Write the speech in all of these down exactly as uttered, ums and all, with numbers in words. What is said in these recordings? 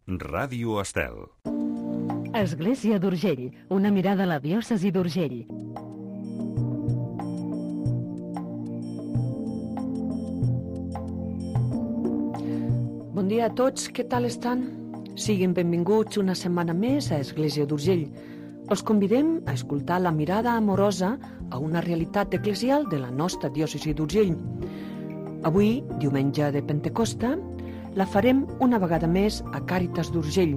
Ràdio Estel. Església d'Urgell, una mirada a la diòcesi d'Urgell. Bon dia a tots, què tal estan? Siguin benvinguts una setmana més a Església d'Urgell. Els convidem a escoltar la mirada amorosa a una realitat eclesial de la nostra diòcesi d'Urgell. Avui, diumenge de Pentecosta, la farem una vegada més a Càritas d'Urgell,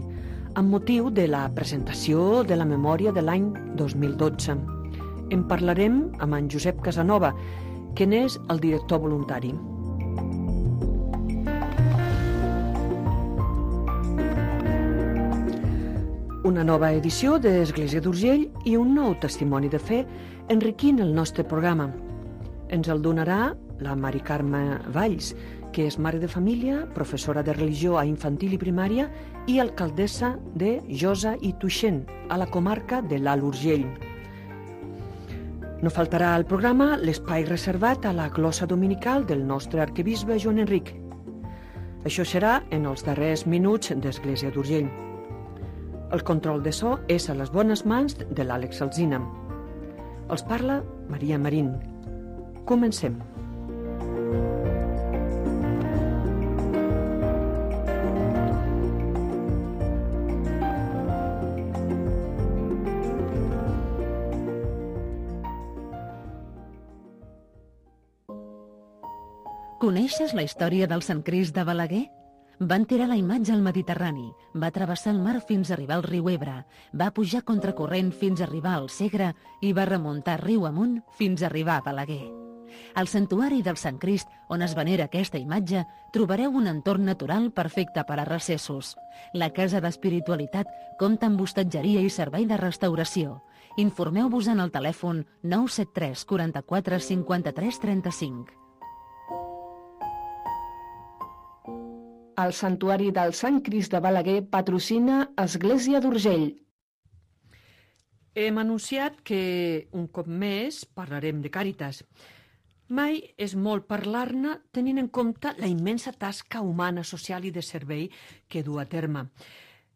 amb motiu de la presentació de la memòria de l'any dos mil dotze. En parlarem amb en Josep Casanova, que n'és el director voluntari. Una nova edició d'Església d'Urgell i un nou testimoni de fe enriquint el nostre programa. Ens el donarà la Mari Carme Valls, que és mare de família, professora de religió a infantil i primària i alcaldessa de Josa i Tuixén, a la comarca de l'Alt Urgell. No faltarà al programa l'espai reservat a la glossa dominical del nostre arquebisbe Joan Enric. Això serà en els darrers minuts d'Església d'Urgell. El control de so és a les bones mans de l'Àlex Alsina. Els parla Maria Marín. Comencem. Coneixes la història del Sant Crist de Balaguer? Van tirar la imatge al Mediterrani, va travessar el mar fins a arribar al riu Ebre, va pujar contracorrent fins a arribar al Segre i va remuntar riu amunt fins a arribar a Balaguer. Al santuari del Sant Crist, on es venera aquesta imatge, trobareu un entorn natural perfecte per a recessos. La Casa d'Espiritualitat compta amb hostatgeria i servei de restauració. Informeu-vos en el telèfon nou set tres quaranta-quatre cinquanta-tres trenta-cinc. El Santuari del Sant Crist de Balaguer patrocina Església d'Urgell. Hem anunciat que un cop més parlarem de Càritas. Mai és molt parlar-ne tenint en compte la immensa tasca humana, social i de servei que du a terme.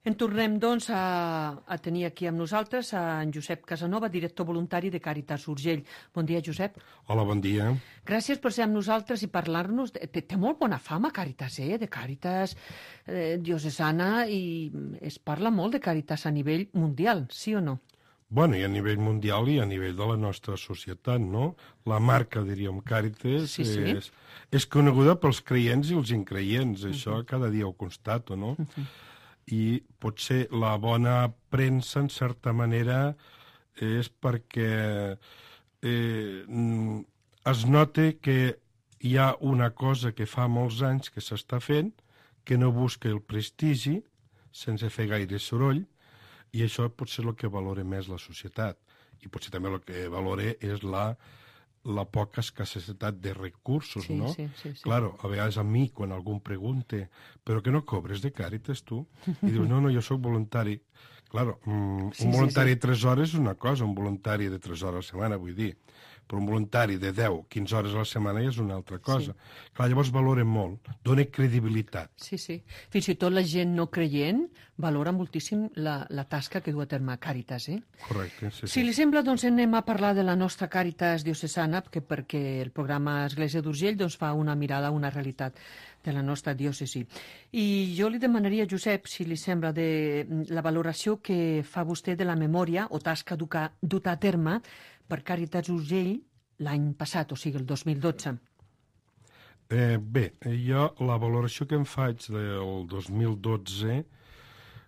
En tornem, doncs, a, a tenir aquí amb nosaltres a en Josep Casanova, director voluntari de Càritas Urgell. Bon dia, Josep. Hola, bon dia. Gràcies per ser amb nosaltres i parlar-nos. Té, té molt bona fama Càritas, eh? De Càritas eh, diocesana, i es parla molt de Càritas a nivell mundial, sí o no? Bueno, i a nivell mundial i a nivell de la nostra societat, no? La marca, diríem, Càritas, sí, sí. És, és coneguda pels creients i els increients. Això uh-huh. cada dia ho constato, no? Uh-huh. I potser la bona premsa, en certa manera, és perquè eh, es nota que hi ha una cosa que fa molts anys que s'està fent, que no busca el prestigi, sense fer gaire soroll, i això potser és el que valora més la societat. I potser també el que valora és la... la poca escassetat de recursos, sí, no? Sí, sí, sí. Claro, a vegades a mi, quan algú em pregunta però que no cobres de Càritas, tu? I dius, no, no, jo sóc voluntari. Claro, mm, sí, un voluntari sí, sí. de tres hores és una cosa, un voluntari de tres hores a la setmana, vull dir, però un voluntari de deu, quinze hores a la setmana ja és una altra cosa. Sí. Clar, llavors valoren molt, dona credibilitat. Sí, sí. Fins i tot la gent no creient valora moltíssim la, la tasca que du a terme Càritas, eh? Correcte, sí, sí. Si li sembla, doncs anem a parlar de la nostra Càritas diocesana, que perquè el programa Església d'Urgell doncs, fa una mirada a una realitat de la nostra diòcesi. I jo li demanaria, Josep, si li sembla, de la valoració que fa vostè de la memòria o tasca duta a terme per Càritas Urgell l'any passat, o sigui, el dos mil dotze. Eh, bé, jo la valoració que em faig del dos mil dotze...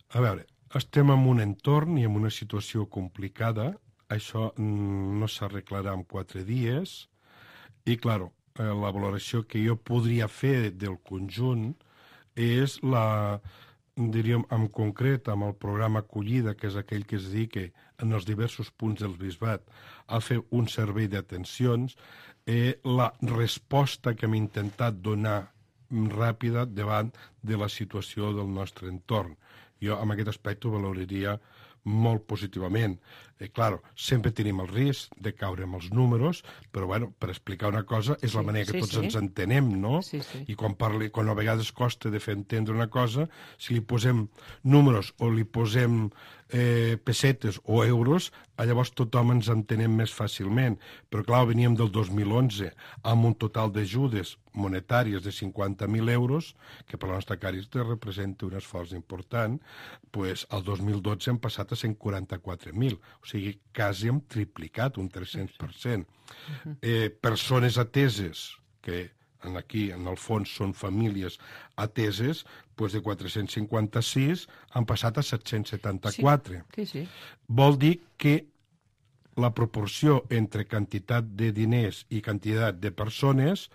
A veure, estem en un entorn i en una situació complicada. Això no s'arreglarà en quatre dies. I, clar, la valoració que jo podria fer del conjunt és la... diríem, en concret, amb el programa Acollida, que és aquell que es dedica en els diversos punts del bisbat a fer un servei d'atencions, eh, la resposta que hem intentat donar ràpida davant de la situació del nostre entorn. Jo, en aquest aspecte, ho valoraria molt positivament. Eh, claro, sempre tenim el risc de caure amb els números, però bueno, per explicar una cosa és la Sí, manera que sí, tots sí. ens entenem, no? Sí, sí. I quan, parli, quan a vegades costa de fer entendre una cosa, si li posem números o li posem eh, pessetes o euros, llavors tothom ens entenem més fàcilment. Però clar, veníem del dos mil onze amb un total d'ajudes monetàries de cinquanta mil euros, que per la nostra Càritas representa un esforç important, pues, el dos mil dotze hem passat a cent quaranta-quatre mil, o sigui, quasi hem triplicat, un tres-cents per cent. Eh, persones ateses, que en aquí, en el fons, són famílies ateses, pues de quatre-cents cinquanta-sis han passat a set-cents setanta-quatre. Sí, sí. Vol dir que la proporció entre quantitat de diners i quantitat de persones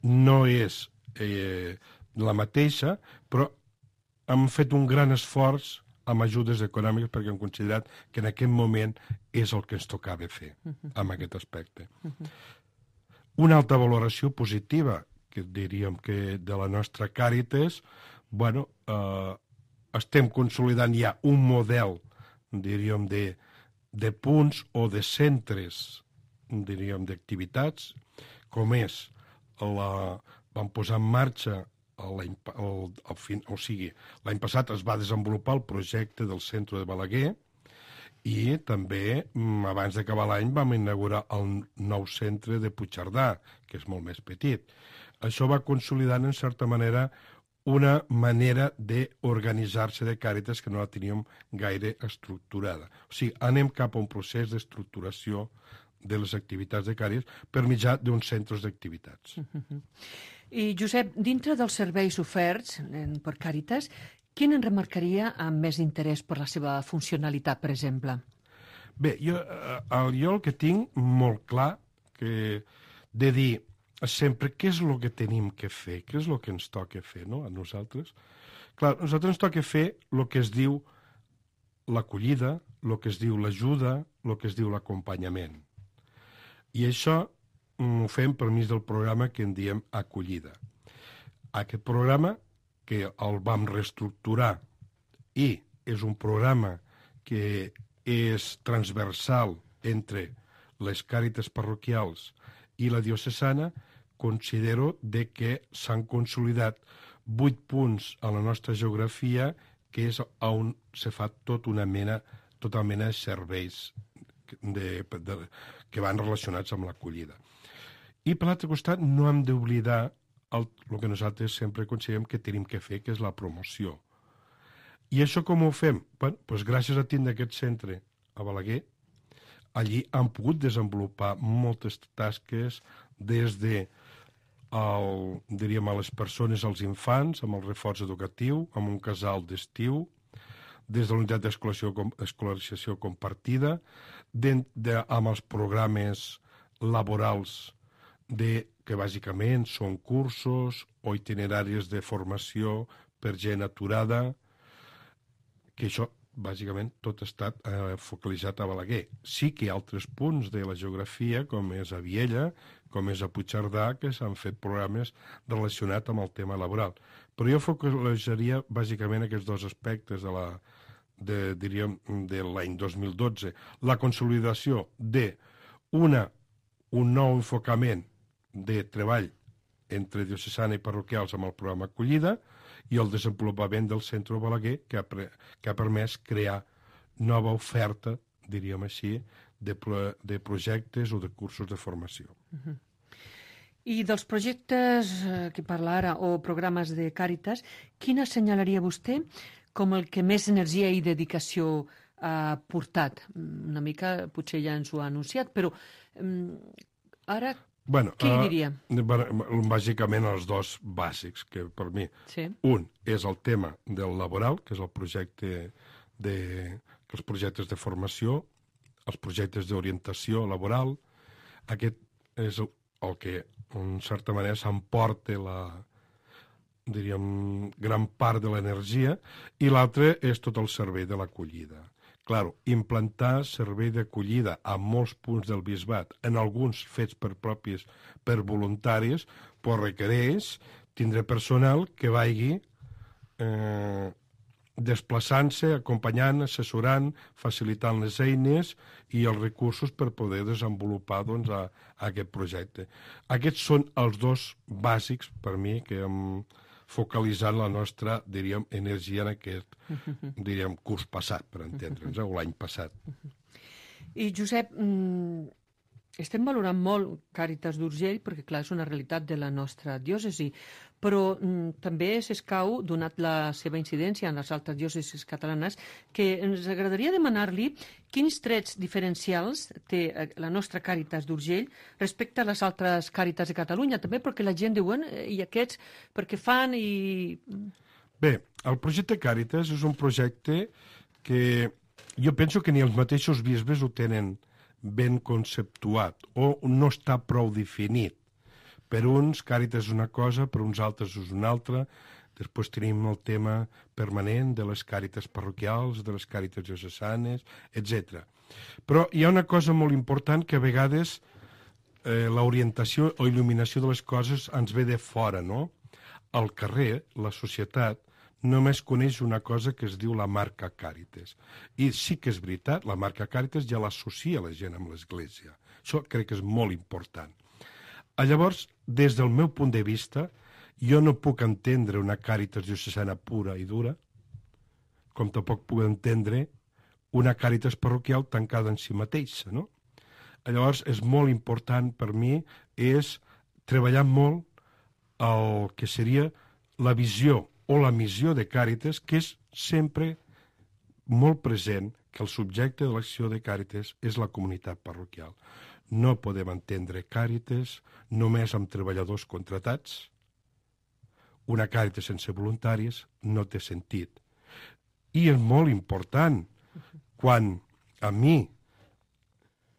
no és eh, la mateixa, però hem fet un gran esforç amb ajudes econòmiques perquè hem considerat que en aquest moment és el que ens tocava fer amb aquest aspecte. Una altra valoració positiva que diríem que de la nostra Càritas, bueno, eh, estem consolidant ja un model, diríem, de, de punts o de centres, diríem, d'activitats, com és la... vam posar en marxa l'any el, el fin, o sigui, l'any passat es va desenvolupar el projecte del centre de Balaguer i també, abans d'acabar l'any, vam inaugurar el nou centre de Puigcerdà, que és molt més petit. Això va consolidant, en certa manera, una manera d'organitzar-se de Càritas que no la teníem gaire estructurada. O sigui, anem cap a un procés d'estructuració de les activitats de Càritas per mitjà d'uns centres d'activitats. I, Josep, dintre dels serveis oferts per Càritas, quin en remarcaria amb més interès per la seva funcionalitat, per exemple? Bé, jo, jo el que tinc molt clar que de dir sempre què és el que tenim que fer, què és el que ens toca fer, no?, a nosaltres. Clar, a nosaltres ens toca fer el que es diu l'acollida, el que es diu l'ajuda, el que es diu l'acompanyament. I això ho fem per mig del programa que en diem acollida. Aquest programa, que el vam reestructurar i és un programa que és transversal entre les Càritas parroquials i la diocesana, considero de que s'han consolidat vuit punts a la nostra geografia, que és on se fa tot una mena, tota mena de serveis de, de, que van relacionats amb l'acollida. I per l'altre costat no hem d'oblidar el, el que nosaltres sempre considerem que tenim que fer, que és la promoció. I això com ho fem? Bueno, doncs gràcies a tindre aquest centre a Balaguer, allí han pogut desenvolupar moltes tasques des de el, diríem, a les persones, als infants, amb el reforç educatiu, amb un casal d'estiu, des de la unitat d'escolarització compartida, de, de, amb els programes laborals de, que bàsicament són cursos o itineraris de formació per gent aturada, que això bàsicament tot ha estat eh, focalitzat a Balaguer. Sí que hi ha altres punts de la geografia, com és a Viella, com és a Puigcerdà, que s'han fet programes relacionats amb el tema laboral. Però jo focalitzaria bàsicament aquests dos aspectes de la, de, diríem, de l'any dos mil dotze. La consolidació d'una un nou enfocament de treball entre diocesana i parroquials amb el programa Acollida i el desenvolupament del centre Balaguer, que ha, pre, que ha permès crear nova oferta, diríem així, de, pro, de projectes o de cursos de formació. Uh-huh. I dels projectes eh, que parla ara, o programes de Càritas, quin assenyalaria vostè com el que més energia i dedicació ha portat? Una mica, potser ja ens ho ha anunciat, però um, ara... Bueno, què hi diria? Uh, bàsicament els dos bàsics, que per mi, sí. Un és el tema del laboral, que és el projecte de, els projectes de formació, els projectes d'orientació laboral. Aquest és el, el que, en certa manera, s'emporta la, diríem, gran part de l'energia, i l'altre és tot el servei de l'acollida. Claro, implantar servei d'acollida a molts punts del bisbat, en alguns fets per propis, per voluntaris, però requereix tindre personal que vagi eh, desplaçant-se, acompanyant, assessorant, facilitant les eines i els recursos per poder desenvolupar doncs, a, a aquest projecte. Aquests són els dos bàsics, per mi, que hem focalitzat la nostra, diríem, energia en aquest, diríem, curs passat, per entendre'ns, o l'any passat. I, Josep, estem valorant molt Càritas d'Urgell, perquè, clar, és una realitat de la nostra diòcesi, però mm, també s'escau, donat la seva incidència en les altres diòcesis catalanes, que ens agradaria demanar-li quins trets diferencials té la nostra Càritas d'Urgell respecte a les altres Càritas de Catalunya, també perquè la gent diu, i aquests, perquè fan i... Bé, el projecte Càritas és un projecte que jo penso que ni els mateixos bisbes ho tenen ben conceptuat o no està prou definit. Per uns, Càritas és una cosa, per uns altres és una altra. Després tenim el tema permanent de les Càritas parroquials, de les Càritas diocesanes, etcètera. Però hi ha una cosa molt important que a vegades eh, l'orientació o il·luminació de les coses ens ve de fora, no? Al carrer, la societat, només coneix una cosa que es diu la marca Càritas. I sí que és veritat, la marca Càritas ja l'associa la gent amb l'Església. Això crec que és molt important. Llavors, des del meu punt de vista, jo no puc entendre una Càritas diocesana pura i dura, com tampoc puc entendre una Càritas parroquial tancada en si mateixa, no? Llavors, és molt important per mi és treballar molt el que seria la visió o la missió de Càritas, que és sempre molt present que el subjecte de l'acció de Càritas és la comunitat parroquial. No podem entendre Càritas només amb treballadors contratats. Una Càritas sense voluntaris no té sentit. I és molt important quan a mi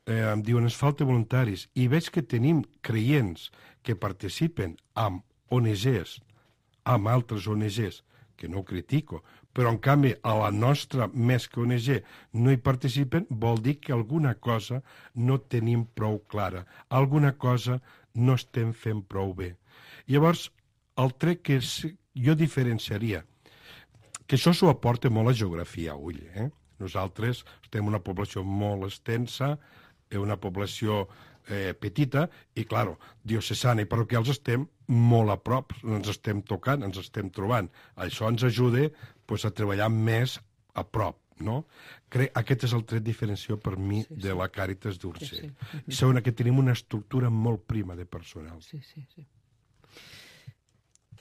eh, em diuen es falta voluntaris i veig que tenim creients que participen amb O N Ges, amb altres O N Ges, que no ho critico, però en canvi a la nostra, més que O N G, no hi participen, vol dir que alguna cosa no tenim prou clara, alguna cosa no estem fent prou bé. Llavors, el tret que jo diferenciaria, que això s'ho aporta molt la geografia a ull, eh? Nosaltres estem una població molt extensa, una població eh, petita, i, clar, diocesana i parroquials estem molt a prop, ens estem tocant, ens estem trobant. Això ens ajuda pues, a treballar més a prop, no? Crec, aquest és el tret diferenciador per mi sí, sí. de la Càritas d'Urgell. Sí, sí. I segona, que tenim una estructura molt prima de personal. Sí, sí, sí.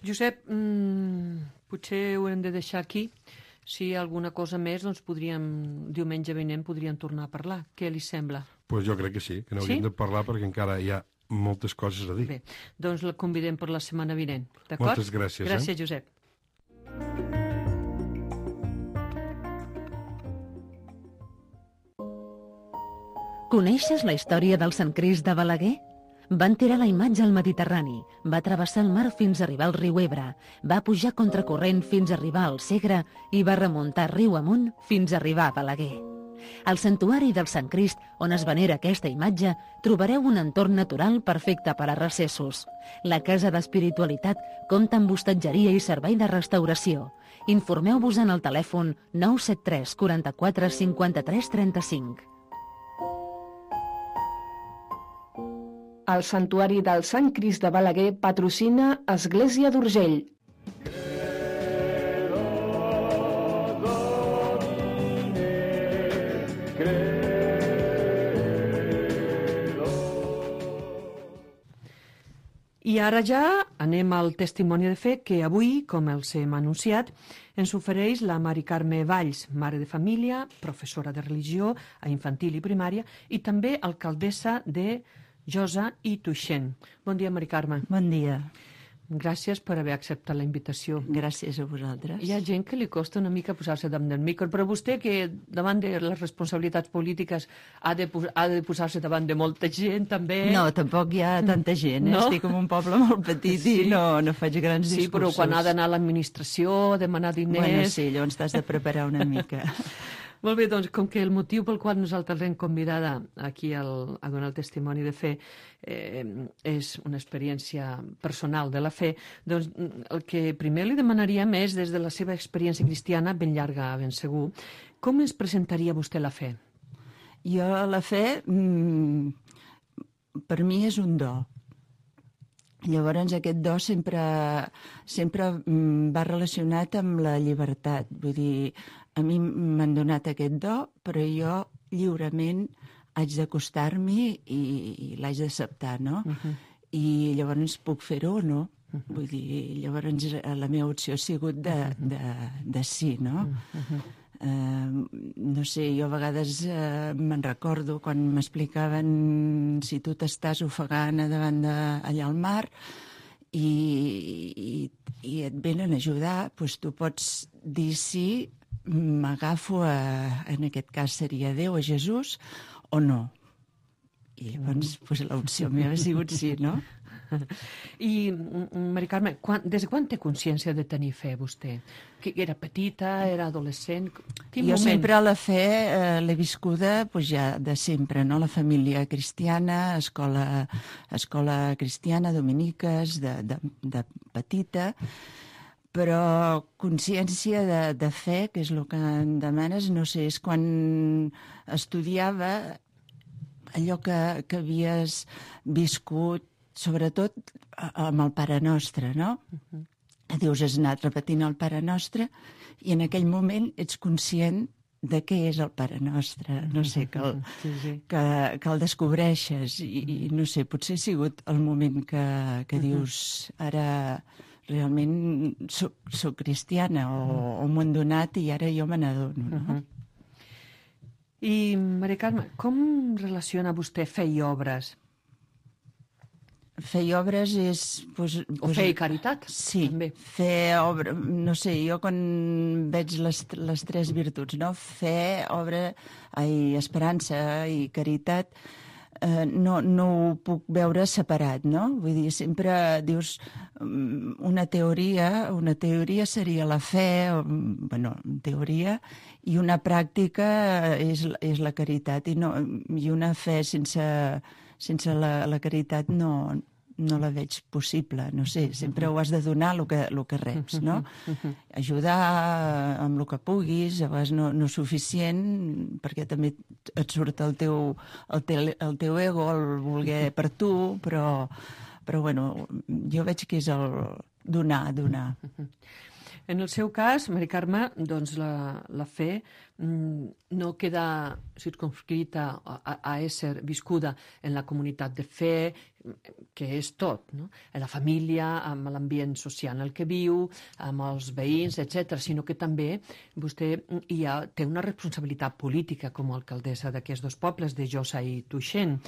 Josep, mmm, potser ho hem de deixar aquí. Si hi ha alguna cosa més, doncs podríem, diumenge vinent podríem tornar a parlar. Què li sembla? Doncs pues jo crec que sí, que n'hauríem sí? de parlar perquè encara hi ha moltes coses a dir. Bé, doncs la convidem per la setmana vinent, d'acord? Moltes gràcies. Gràcies, eh? Josep. Coneixes la història del Sant Crist de Balaguer? Van tirar la imatge al Mediterrani, va travessar el mar fins a arribar al riu Ebre, va pujar contracorrent fins a arribar al Segre i va remuntar riu amunt fins a arribar a Balaguer. Al santuari del Sant Crist, on es venera aquesta imatge, trobareu un entorn natural perfecte per a recessos. La Casa d'Espiritualitat compta amb hostatgeria i servei de restauració. Informeu-vos en el telèfon nou set tres quaranta-quatre cinquanta-tres trenta-cinc. El Santuari del Sant Crist de Balaguer patrocina Església d'Urgell. I ara ja anem al testimoni de fe que avui, com els hem anunciat, ens ofereix la Mari Carme Valls, mare de família, professora de religió a infantil i primària i també alcaldessa de Josa i Tuixén. Bon dia, Mari Carme. Bon dia. Gràcies per haver acceptat la invitació. Gràcies a vosaltres. Hi ha gent que li costa una mica posar-se davant del micro, però vostè, que davant de les responsabilitats polítiques ha de, ha de posar-se davant de molta gent, també... No, tampoc hi ha tanta gent. Eh? No? Estic en un poble molt petit sí. i no, no faig grans sí, discursos. Sí, però quan ha d'anar a l'administració, demanar diners... Bueno, sí, llavors t'has de preparar una mica. Molt bé, doncs, com que el motiu pel qual nosaltres l'hem convidada aquí al, a donar el testimoni de fe eh, és una experiència personal de la fe, doncs el que primer li demanaríem és, des de la seva experiència cristiana, ben llarga, ben segur, com ens presentaria vostè la fe? Jo, la fe, mmm, per mi és un do. Llavors, aquest do sempre, sempre va relacionat amb la llibertat. Vull dir, a mi m'han donat aquest do, però jo lliurement haig d'acostar-m'hi i, i l'haig d'acceptar, no? Uh-huh. I llavors puc fer-ho o no? Uh-huh. Vull dir, llavors la meva opció ha sigut de, de, de sí, no? Uh-huh. Uh, no sé, jo a vegades uh, me'n recordo quan m'explicaven si tu t'estàs ofegant davant de, allà al mar i, i, i et venen a ajudar, doncs tu pots dir sí, m'agafo a, en aquest cas seria Déu, a Jesús, o no. I llavors doncs, l'opció meva ha sigut sí, no? I, Mari Carme, quan, des de quan té consciència de tenir fe, vostè? Que era petita, era adolescent? Quin jo moment? sempre la fe eh, l'he viscuda pues, ja de sempre, no? La família cristiana, escola, escola cristiana, dominiques, de, de, de petita, però consciència de, de fe, que és el que em demanes, no sé, és quan estudiava allò que, que havies viscut, sobretot amb el Pare Nostre, no? Uh-huh. Dius, has anat repetint el Pare Nostre i en aquell moment ets conscient de què és el Pare Nostre. No sé, que el, sí, sí. que, que el descobreixes i, i no sé, potser ha sigut el moment que, que dius, ara realment soc, soc cristiana o, o m'ho han donat i ara jo me n'adono, no? Uh-huh. I, Maria Carme, com relaciona vostè fe i obres? Fer obres és... Pues, o fer i caritat, sí, també. Fer obra... No sé, jo quan veig les, les tres virtuts, no? Fer, obra, ai, esperança i caritat, eh, no, no ho puc veure separat, no? Vull dir, sempre dius una teoria, una teoria seria la fe, bueno, teoria, i una pràctica és, és la caritat, i, no, i una fe sense... sense la, la caritat no, no la veig possible, no sé, sempre ho has de donar el que, el que reps, no? Ajudar amb el que puguis, a vegades no, no és suficient, perquè també et surt el teu, el teu, el teu ego, el voler per tu, però, però bueno, jo veig que és el donar, donar. En el seu cas, Mari Carme, doncs la, la fe mm, no queda circumscrita a, a ésser viscuda en la comunitat de fe, que és tot, no? En la família, amb l'ambient social en el que viu, amb els veïns, etcètera, sinó que també vostè hi ha, té una responsabilitat política com a alcaldessa d'aquests dos pobles, de Josa i Tuixén.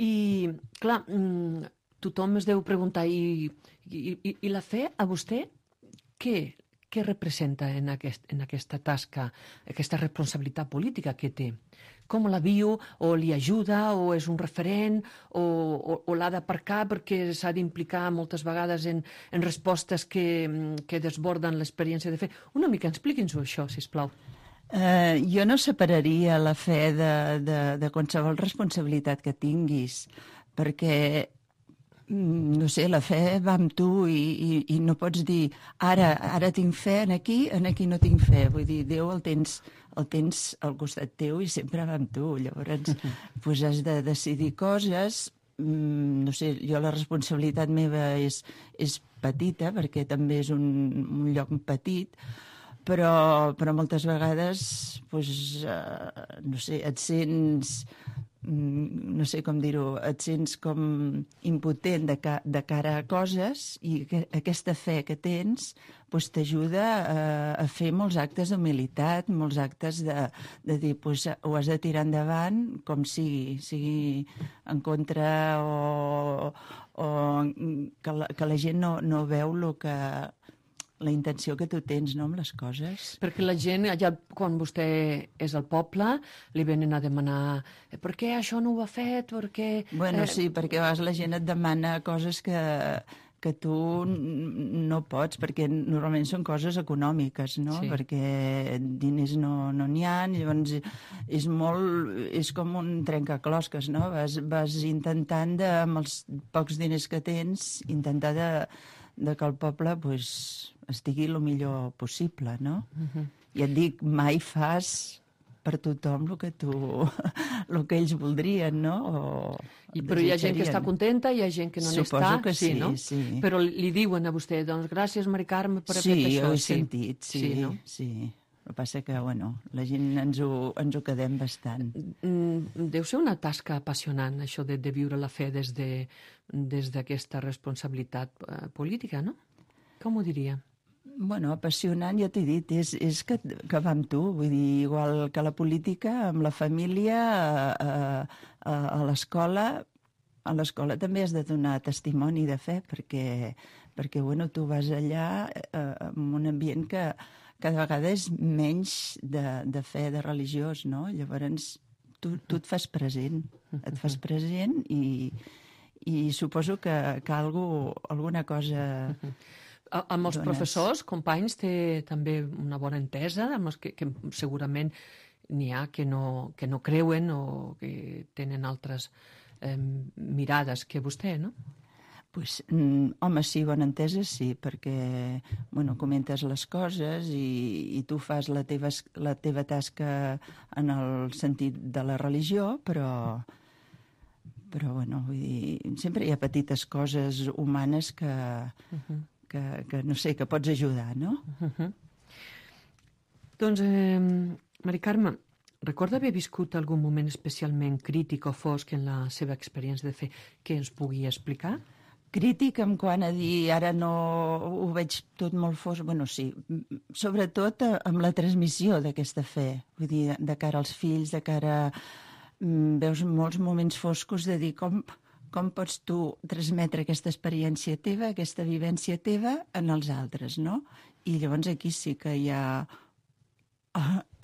I, clar, mm, tothom es deu preguntar, i, i, i la fe a vostè Què, què representa en, aquest, en aquesta tasca, aquesta responsabilitat política que té? Com la viu? O li ajuda? O és un referent? O, o, o l'ha d'aparcar perquè s'ha d'implicar moltes vegades en, en respostes que, que desborden l'experiència de fe? Una mica, expliqui'ns-ho això, sisplau. Uh, jo no separaria la fe de, de, de qualsevol responsabilitat que tinguis, perquè no sé, la fe va amb tu i, i, i no pots dir ara, ara tinc fe en aquí, en aquí no tinc fe. Vull dir, Déu el tens, el tens al costat teu i sempre va amb tu. Llavors, uh-huh. pues has de decidir coses. No sé, jo la responsabilitat meva és, és petita, perquè també és un, un lloc petit, però, però moltes vegades, pues, uh, no sé, et sents... no sé com dir-ho, et sents com impotent de, ca de cara a coses i que aquesta fe que tens pues, t'ajuda a, a fer molts actes d'humilitat, molts actes de, de dir pues, ho has de tirar endavant com sigui, sigui en contra o, o que, la, que la gent no, no veu lo que... la intenció que tu tens, no?, amb les coses. Perquè la gent, allà quan vostè és al poble, li venen a demanar per què això no ho ha fet, per què... Bueno, eh... sí, perquè a vegades la gent et demana coses que, que tu no pots, perquè normalment són coses econòmiques, no? Sí. Perquè diners no n'hi no ha endavant, llavors és molt, és com un trencaclosques, no? Vas, vas intentant, de, amb els pocs diners que tens, intentar de, de que el poble pues, estigui el millor possible, no? Uh-huh. I et dic, mai fas per tothom el que tu, el que ells voldrien, no? O I, però hi ha gent que està contenta, hi ha gent que no n'està. Suposo que sí, no? sí. Però li diuen a vostè, doncs gràcies, Mari Carme, per sí, haver fet això. Sí, ho he sí. sentit, sí, sí, no? Sí. El que passa que, bueno, la gent ens ho, ens ho quedem bastant. Mm, deu ser una tasca apassionant, això de, de viure la fe des de, des d'aquesta responsabilitat uh, política, no? Com ho diria? Bueno, apassionant, ja t'he dit, és, és que, que va amb tu, vull dir, igual que la política, amb la família, a, a, a l'escola, a l'escola també has de donar testimoni de fe, perquè, perquè bueno, tu vas allà eh, en un ambient que cada vegada és menys de, de fe, de religiós, no? Llavors, tu, tu et fas present, et fas present i, i suposo que, que algú, alguna cosa... Amb els dones. Professors, companys, té també una bona entesa, amb els que, que segurament n'hi ha que no, que no creuen o que tenen altres eh, mirades que vostè, no? Pues, mm, home, sí, bona entesa sí, perquè bueno, comentes les coses i, i tu fas la teva, la teva tasca en el sentit de la religió, però, però bueno, vull dir, sempre hi ha petites coses humanes que... Uh-huh. Que, que, no sé, que pots ajudar, no? Uh-huh. Doncs, eh, Mari Carme, recorda haver viscut algun moment especialment crític o fosc en la seva experiència de fe que ens pugui explicar? Crític en quant a dir, ara no ho veig tot molt fosc, bueno, sí, sobretot amb la transmissió d'aquesta fe, vull dir, de cara als fills, de cara... Veus molts moments foscos de dir com... com pots tu transmetre aquesta experiència teva, aquesta vivència teva en els altres, no? I llavors aquí sí que hi ha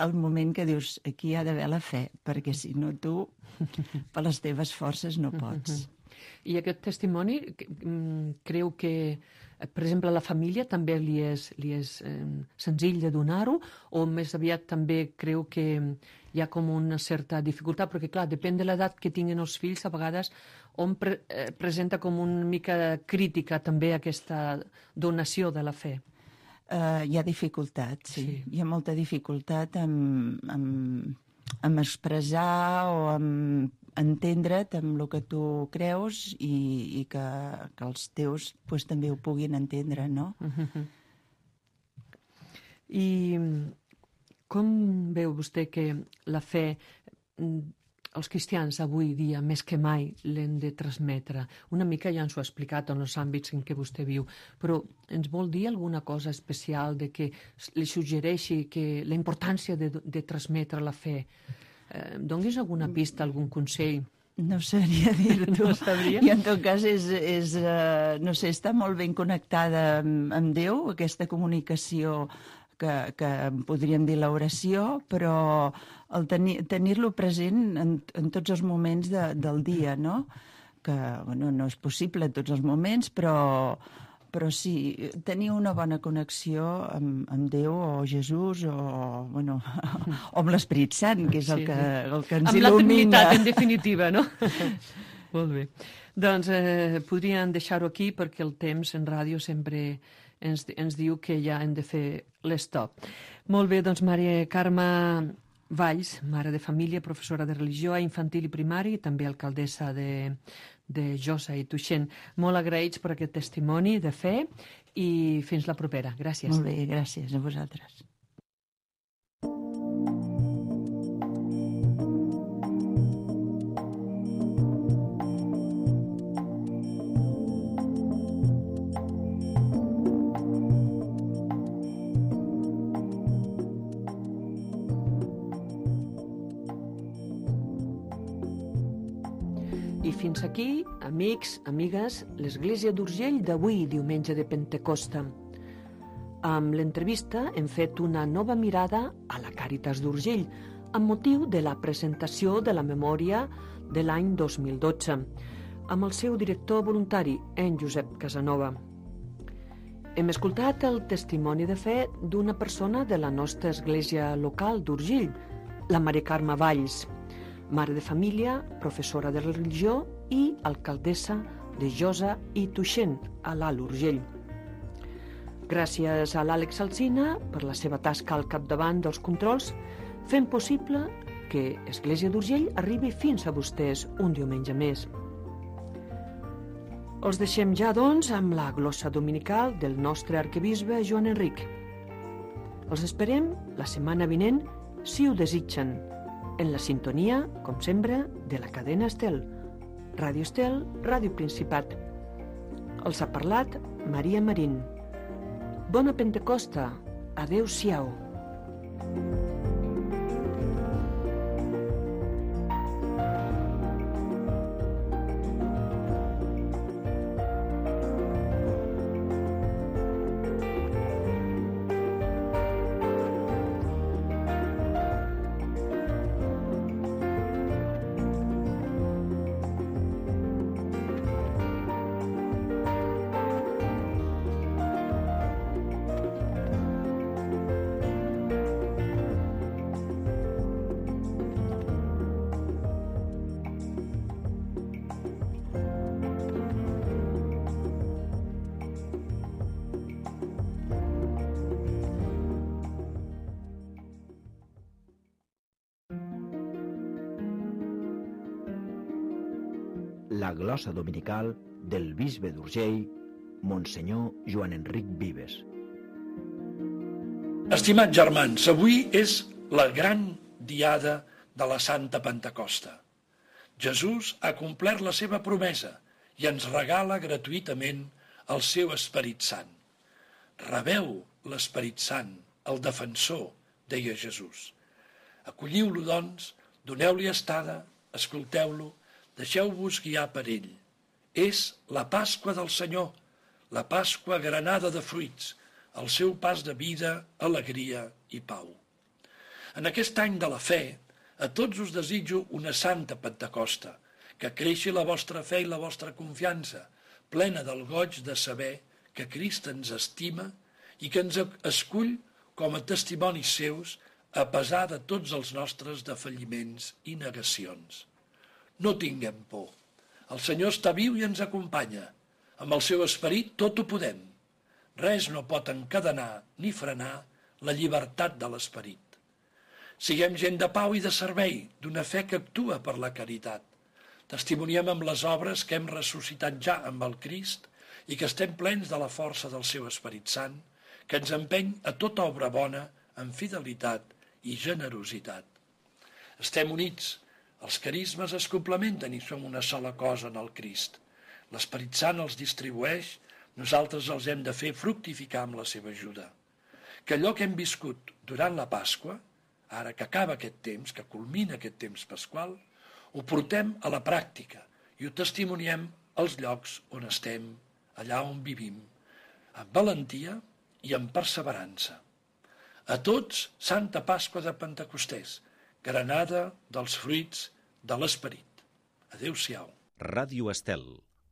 el moment que dius aquí hi ha d'haver la fe, perquè si no tu per les teves forces no pots. I aquest testimoni creu que, per exemple, a la família també li és, li és eh, senzill de donar-ho o més aviat també creu que hi ha com una certa dificultat? Perquè, clar, depèn de l'edat que tinguin els fills, a vegades on pre eh, presenta com una mica crítica també aquesta donació de la fe. Uh, hi ha dificultat, sí. sí. Hi ha molta dificultat en, en, en expressar o en entendre't amb el que tu creus i, i que, que els teus pues, també ho puguin entendre, no? Uh-huh. I com veu vostè que la fe... els cristians avui dia, més que mai, l'hem de transmetre. Una mica ja ens ho ha explicat en els àmbits en què vostè viu, però ens vol dir alguna cosa especial de que li suggereixi que la importància de, de transmetre la fe? Eh, Donis alguna pista, algun consell? No sabria dir-t'ho. No sabria? I en tot cas, és, és, uh, no sé, està molt ben connectada amb, amb Déu, aquesta comunicació que, que podríem dir l'oració, però el tenir, tenir-lo present en, en tots els moments de, del dia, no? Que, bueno, no és possible en tots els moments, però, però sí, tenir una bona connexió amb, amb Déu o Jesús o, bueno, o amb l'Esperit Sant, que és el que, el que ens amb il·lumina. Amb la Trinitat, en definitiva, no? Molt bé. Doncs eh, podríem deixar-ho aquí perquè el temps en ràdio sempre ens, ens diu que ja hem de fer l'estop. Molt bé, doncs Maria Carme Valls, mare de família, professora de religió a infantil i primari, també alcaldessa de, de Josa i Tuixén. Molt agraïts per aquest testimoni de fe i fins la propera. Gràcies. Molt bé, gràcies a vosaltres. I fins aquí, amics, amigues, l'Església d'Urgell d'avui, diumenge de Pentecosta. Amb l'entrevista hem fet una nova mirada a la Càritas d'Urgell, amb motiu de la presentació de la memòria de l'any dos mil dotze, amb el seu director voluntari, en Josep Casanova. Hem escoltat el testimoni de fe d'una persona de la nostra església local d'Urgell, la Mari Carme Valls, mare de família, professora de religió i alcaldessa de Josa i Tuixén, a l'Alt Urgell. Gràcies a l'Àlex Alsina per la seva tasca al capdavant dels controls, fent possible que Església d'Urgell arribi fins a vostès un diumenge més. Els deixem ja, doncs, amb la glossa dominical del nostre arquebisbe Joan Enric. Els esperem la setmana vinent, si ho desitgen, en la sintonia, com sempre, de la cadena Estel. Ràdio Estel, Ràdio Principat. Els ha parlat Maria Marín. Bona Pentecosta. Adéu-siau. La glossa dominical del bisbe d'Urgell, Monsenyor Joan Enric Vives. Estimats germans, avui és la gran diada de la Santa Pentecosta. Jesús ha complert la seva promesa i ens regala gratuïtament el seu Esperit Sant. Rebeu l'Esperit Sant, el defensor, deia Jesús. Acolliu-lo, doncs, doneu-li estada, escolteu-lo, deixeu-vos guiar per ell. És la Pasqua del Senyor, la Pasqua granada de fruits, el seu pas de vida, alegria i pau. En aquest any de la fe, a tots us desitjo una santa Pentecosta, que creixi la vostra fe i la vostra confiança, plena del goig de saber que Crist ens estima i que ens escull com a testimonis seus a pesar de tots els nostres defalliments i negacions. No tinguem por. El Senyor està viu i ens acompanya. Amb el seu esperit tot ho podem. Res no pot encadenar ni frenar la llibertat de l'esperit. Siguem gent de pau i de servei, d'una fe que actua per la caritat. Testimoniem amb les obres que hem ressuscitat ja amb el Crist i que estem plens de la força del seu Esperit Sant, que ens empeny a tota obra bona amb fidelitat i generositat. Estem units. Els carismes es complementen i som una sola cosa en el Crist. L'Esperit Sant els distribueix, nosaltres els hem de fer fructificar amb la seva ajuda. Que allò que hem viscut durant la Pasqua, ara que acaba aquest temps, que culmina aquest temps pasqual, ho portem a la pràctica i ho testimoniem als llocs on estem, allà on vivim, amb valentia i amb perseverança. A tots, Santa Pasqua de Pentecostès, granada dels fruits de l'esperit. Adéu-siau. Ràdio Estel,